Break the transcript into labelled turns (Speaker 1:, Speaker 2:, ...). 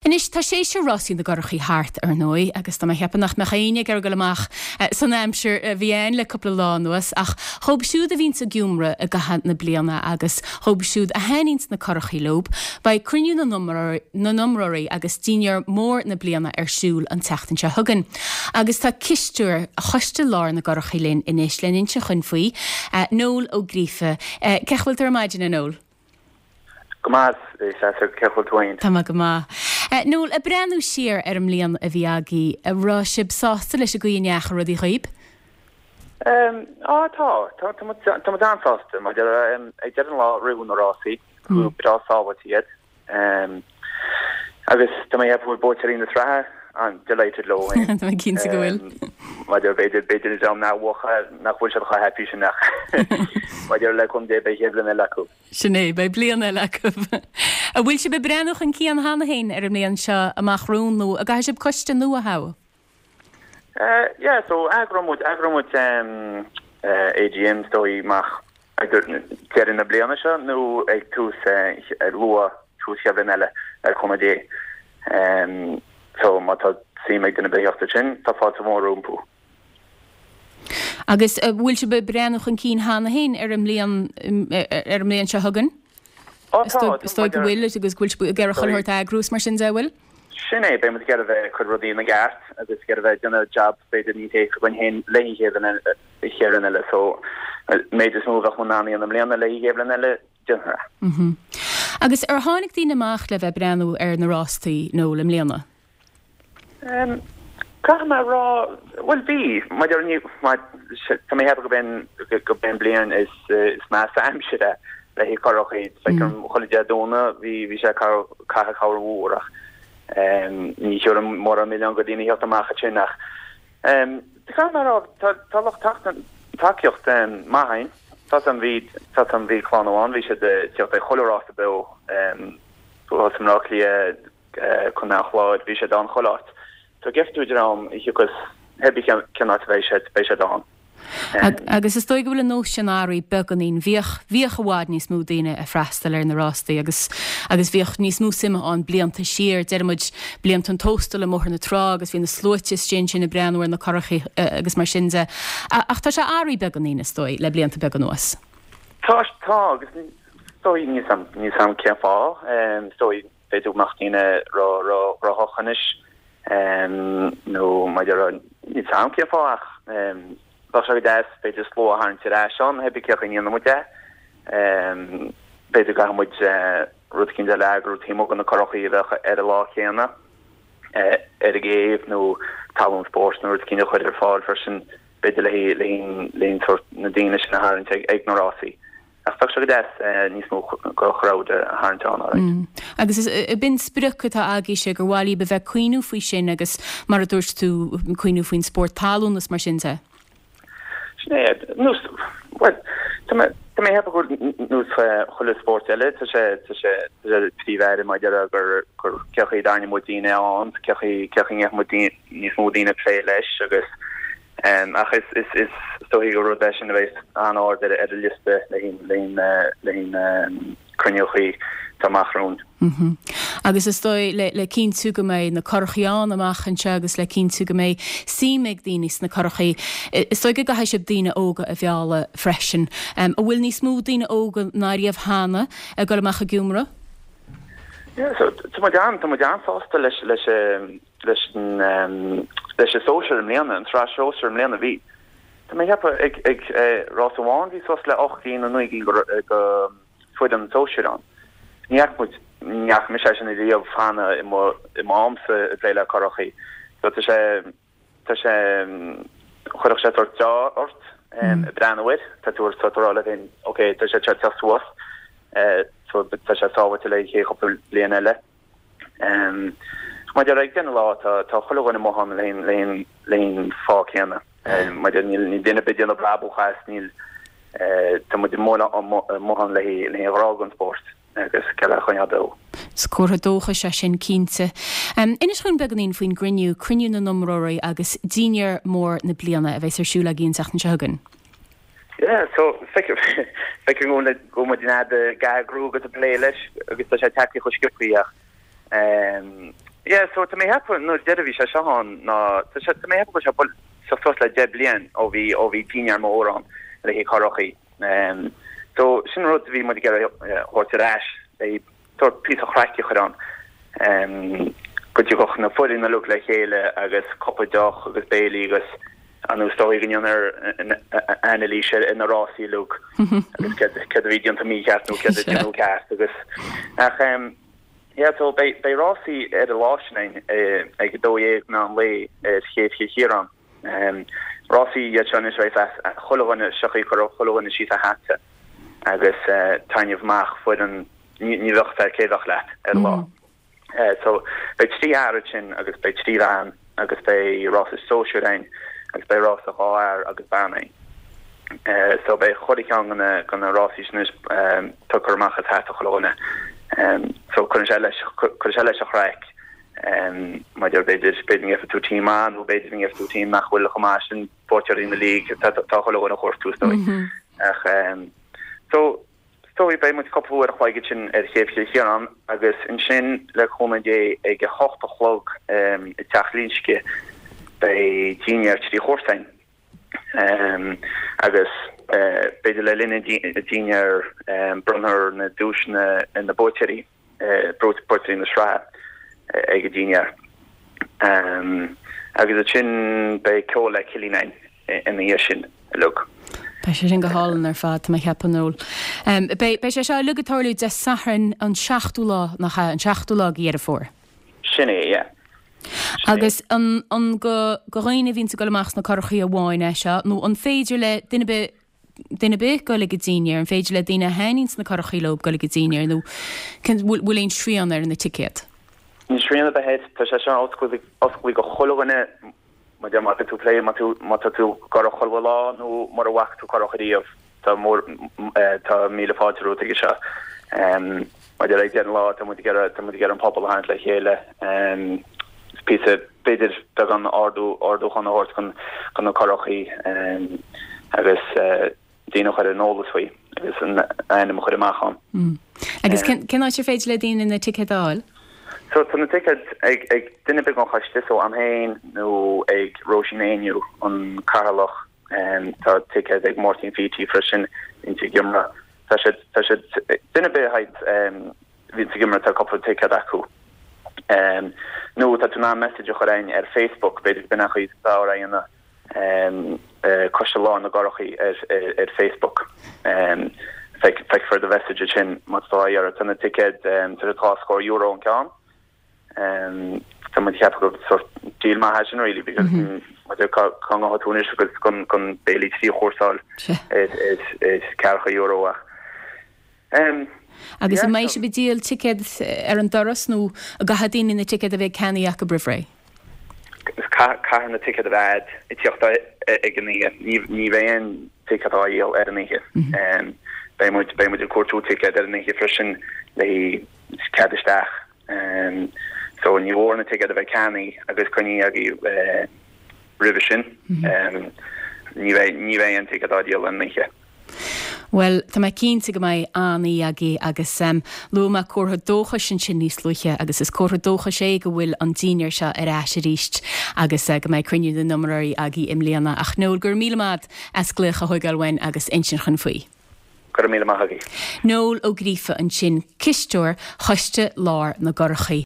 Speaker 1: Anois, tá séasúr rásaí na gcurachaí thart, ar ndóigh, agus tá mé ag ceapadh nach mbeadh éinne ag iarraidh dul amach san aimsir a bhí ann le cúpla lá anuas, ach dhóibh siúd a bhíonns ag iomramh i gcaitheamh na bliana agus dhóibh siúd a thaitníonns na curachaí leob, beidh Cruinniú na nIomróirí agus Dinnéar Mór na Bliana ar siúl an tseachtain seo chugainn. Agus tá cisteoir Choiste Láir na gCurachaí linn anois le n-inse chuinn faoi, Noel Ó Gríofa. Cén chaoi a bhfuil tú ar maidin, a Noel?
Speaker 2: Go maith, a Sheosaimh, cén chaoi a bhfuil tú fhéin?
Speaker 1: Tá mé go maith. Noel, ag breathnú siar ar an mbliain a bhí agaibh, an raibh sibh sásta leis an gcaoi a ndeachaigh rudaí dhaoib?
Speaker 2: Á, tá. Tá, tá muid, tá muid an-sásta. Mar ag deireadh an lá, ritheadh na rásaí, go breá sábháilte iad. Agus tá mé ag ceapadh go bhfuil buaiteoirí na sraithe an-delighted leo
Speaker 1: féin. Tá mé cinnte go bhfuil.
Speaker 2: Maidir, b'fhéidir, b'fhéidir an dream nár bhuaigh nach bhfuil siad chomh happy sin ach maidir le cúnamh Dé beidh an chéad bhliain eile acu.
Speaker 1: Sin é, beidh bliain eile acu. An bhfuil sibh ag breathnú chun cinn cheana féin ar an mbliain seo amach romhainn nó an gcaithfidh sibh coiste nua a thoghadh?
Speaker 2: Yeah, so eagróidh muid, eagróidh muid AGM is dóigh amach ag deireadh na bliana seo nó ag tús, luath, tús chéad bhliain eile le cúnamh Dé. So má tá suim ag duine ar bith theacht air sin, tá fáilte mhór rompu.
Speaker 1: Agus an bhfuil sibh ag breathnú chun cinn cheana féin ar an mbliain, ar an mbliain seo chugainn?
Speaker 2: Ó tá,
Speaker 1: Is dóigh go bhfuil agus go bhfuil sibh ag iarraidh chuile shórt a eagrú is mar sin de, an bhfuil?
Speaker 2: Sin é, beidh muid ag iarraidh bheith ag cur rudaí ina gceart agus ag iarraidh bheith ag déanamh jab b'fhéidir níos éasca againn féin le haghaidh an chéad bhliain eile. So, an méid is mó a bheadh muid in ann a dhéanamh i mbliana le haghaidh an chéad bhliain eile, déanfar
Speaker 1: é. Agus ar tháinig daoine amach le bheith ag breathnú ar na rástaí Noel i mbliana?
Speaker 2: Caithfidh mé a rá, bhuel bhí, maidir ní, tá mé ag ceapadh go b'é an bliain is measa aimsire le haghaidh curachaí, feicim chuile Dé Domhnaigh bhí bhí sé ag caitheamh corr mhór ach ní thiúrfainn mórán milleán go daoine theacht amach ansin ach caithfidh mé a rá tá tá lucht tacaíocht maith againn, tá san bhí tá san bhí clann amháin bhí siad ag teacht ag chuile rása beo thuas i mBleá Cliath Contae an Chláir, bhí siad ann chuile áit. So gheobhaidh tú dream a thiocfas pé bith cén áit a bheidh siad, beidh siad ann.
Speaker 1: Agus is dóigh go bhfuil an nós sin athraithe beagáinín. Bhíodh, bhíodh i bhfad níos mó daoine ag freastal ar na rástaí agus, agus bhíodh níos mó suime ann blianta siar. Deir muid blianta an Tóstail i mBóthar na Trá agus bhí na sluaite istigh ansin ag breathnú ar na curachaí agus mar sin de. Ach tá sé athraithe beagáinín, is dóigh, le blianta beaga anuas.
Speaker 2: Tá, tá agus is dóigh, níl 's a'm cén fáth, is dóigh b'fhéidir go mbeadh daoine ró-ghnóthach anois nó maidir níl 's a'm cén fáth ach bheadh sé go deas b'fhéidir slua a tharraingt ar ais ann, pé bith cén chaoi a ndéanann muid é. B'fhéidir go gcaithfidh muid rud eicínt eile a eagrú taobh amuigh de na curachaí a bheadh ar an lá céanna ar an gcéibh nó talún spóirt nó rud eicínt a chur ar fáil freisin b'fhéidir le haghaidh sórt na daoine sin a tharraingt ag na rásaí. Ach bheadh sé go deas níos mó de chrowd a tharraingt ann,
Speaker 1: alright. Agus is b'in sprioc atá agaibhse gur mhaith libh a bheith ag cuimhniú faoi sin agus mar a dúirt tú, cuimhniú faoin spórt talún is mar sin de.
Speaker 2: Sin é, nós, bhuel, tá mé, tá mé ag ceapadh gur nós chuile spórt eile, tá sé, tá sé, tá sé príomh-aire maidir le gur, gur cén chaoi a dtarraingeann muid daoine ann, cén chaoi, cén chaoi a ngeobhaidh muid níos mó daoine ag plé leis agus Ach is dóichí gur rud é sin a bheidh an-ard ar an liosta le haghaidh na cruinniúchaí atá amach
Speaker 1: romhainn. Agus is dóigh le cinntiú go mbeidh na curachaí ann amach anseo agus le cinntiú go mbeidh suim ag daoine sna curachaí, is dóigh go gcaithfidh sibh daoine óga a mhealladh freisin. An bhfuil níos mó daoine óga ná riamh cheana ag dul amach ag iomramh?
Speaker 2: Yeah, so tá muid an, tá muid an-sásta leis leis leis an leis an sóisear i mbliana, an tsraith sóisear i mbliana. Bhí, tá mé ag ceapadh, ag ag rás amháin bhí suas le 8 gcinn nó 9 gcinn de foireann sóisir ann. Ní fhaca muid, ní fhaca mise é sin riamh cheana i mo i mo amsa ag plé le curachaí. So tá sé tá sé chuirfeadh sé sórt deá ort ag breathnú air, tá tú tá tú ag rá leat féin ok tá sé ag teacht suas so tá sé sábháilte le haghaidh cúpla bliain eile. Maidir ag deireadh an lá tá tá chuile dhuine amuigh ann le haghaidh le haghaidh an fáth céanna. Maidir níl níl duine ar bith ag déanamh brabús as níl tá muid amuigh amuigh ann le haghaidh le haghaidh an ghrá don spórt agus le é a choinneáil
Speaker 1: beo. Is comhartha dóchais é sin cinnte. Inis dhúinn beagáinín faoin gcruinniú, Cruinniú na nIomróirí agus Dinnéar Mór na Bliana a bheas ar siúl agaibh an tseachtain seo chugainn.
Speaker 2: Yeah, so feicim feicim go bhfuil go bhfuil muid in ag eagrú agus ag plé leis agus tá sé tagtha chomh sciobtha ach ehm. Yeah, so tá mé ag ceapadh nuair deireadh bhí sé seo ann ná tá sé tá mé ag ceapadh go bhfuil sé buailte suas le 10 bliain ó bhí ó bhí dinnéar mór ann le haghaidh currachaí. Um, so sin rud a bhí muid ag iarraidh thabhairt ar ais le sórt píosa chraic a chur ann. Um, go dtiocfadh na foireann uilig le chéile agus cupa deoch agus béilí agus an is dóigh go ndéanfar anailís ar na rásaí uilig agus céard a bhí déanta mícheart nó céard a déanadh ceart agus ach um, Yeah so beidh beidh rásaí ar an lá sin againn ag 12 meán lae ar Chéibh Chill Chiaráin. Rásaí iad seo anois a bheidh chuile dhuine sioctha cuirfidh chuile dhuine síos a hata agus taitneamh amach foireann ní ní bheadh a fhios agat cé bheadh leat ar an lá. So beidh 3 fhear ansin agus beidh 3 bhean agus beidh rása sóisir againn agus beidh rása 2 fhear agus bean againn. So beidh chuile cheann de na de na rásaí sin anois tugtha amach as hata chuile dhuine. So cuireann sé leis cuireann sé leis an chraic maidir b'fhéidir b'fhéidir go ngeobhaidh tú team maith nó b'fhéidir go ngeobhaidh tú team nach bhfuil chomh maith sin buaiteoirí na league tá tá chuile dhuine a chuartú is dóigh. Ach so is dóigh beidh muid cúpla uair a chloig ansin ar Chéibh Chill Chiaráin agus ansin le cúnamh Dé ag a hocht a chlog i dTeach Ghlinsce beidh dinnéar 3 chúrsa againn agus b'fhéidir le linn an dinnéir bronnfar na duaiseanna ar na buaiteoirí. buaiteoirí na sraithe ag an dinnéar. Agus ansin beidh ceol le Cillian againn ina dhiaidh sin uilig.
Speaker 1: Beidh sé sin go hálainn ar fad, tá mé ag ceapadh, Noel. Beidh, beidh sé seo uilig ag tarlú Dé Sathairn an seachtú lá, nach ea, an seachtú lá de Dheireadh Fómhair?
Speaker 2: Sin é, yeah.
Speaker 1: Agus an, an go, go dhaoine a bhíonns ag dul amach sna currachaí amháin é seo, nó an féidir le duine ar bith duine ar bith goil ag an dinnéar, an féidir le daoine a thaitníonns na currachaí leo goil ag an dinnéar nó cén, bhfuil, bhfuil aon srian ar na ticéad?
Speaker 2: Níl srian ar bith air, tá sé seo oscailte, oscailte go chuile dhuine, má deir, má tá tú plé, má tú, má tá tú ag curach chuile lá nó mura bhfaca tú curach ariamh, tá mór, tá míle fáilte romhat aige seo. Má deir ag deireadh an lá, tá muid ag iarraidh, tá muid ag iarraidh an pobal a tharraingt le chéile, is píosa, b'fhéidir beagán ardú, ardúchán a thabhairt chun, chun na currachaí agus daoine a chur ar an eolas faoi agus an ainm a chur amach
Speaker 1: ann. Agus cén, cén áit ar féidir le daoine na ticéid a fháil?
Speaker 2: So tá na ticéid ag, ag duine ar bith ón choiste, so a'm féin nó ag Róisín Éinniú, an cathaoirleach, tá ticéid ag Máirtín Pheaty freisin, insa ghiomra. Tá siad, tá siad, duine ar bith a bhíonn sa ghiomra tá cúpla ticéad acu. Nó tá tú in ann message a chur a'inn ar Facebook, b'fhéidir b'in an chaoi is fearr é a dhéanamh, Coiste Láir na gCurrachaí ar ar Facebook. Feicfear do message ansin má tá tú á iarraidh. Tá na ticéid, tá siad dhá scór euro an ceann. Tá muid ag ceapadh gur sort deal maith é sin really because maidir cá cá ngabhfaidh tú anois agus chun chun béilí trí chúrsa a fháil ar ar ar ceathracha euro ach
Speaker 1: Agus an mbeidh sibh ag díol ticéad ar an doras nó an gcaithfidh daoine na ticéid a bheith ceannaithe acu roimh ré?
Speaker 2: Caithfidh na ticéid a bheith a'd ag tíocht ag an oíche. Ní ní bheidh aon ticéad á dhíol ar an oíche. Beidh muid beidh muid ag cuartú ticéad ar an oíche freisin le cead isteach. So ní mhór na ticéid a bheith ceannaithe agus coinnithe agaibh roimhe sin. Ní bheidh ní bheidh aon ticéad á dhíol ar an oíche.
Speaker 1: Bhuel, tá mé cinnte go mbeidh an-oíche agaibh agus luaigh mé comhartha dóchais ansin níos luaithe agus is comhartha dóchais é go bhfuil an dinnéar seo ar ais arís agus go mbeidh cruinniú na n-imreoirí agaibh i mbliana. Ach Noel, go raibh míle maith agat as glaoch a thógáil uainn agus insint dhúinn faoi.
Speaker 2: Go raibh míle maith agaibh.
Speaker 1: Noel Ó Gríofa ansin, cisteoir Choiste Lár na gCurachaí.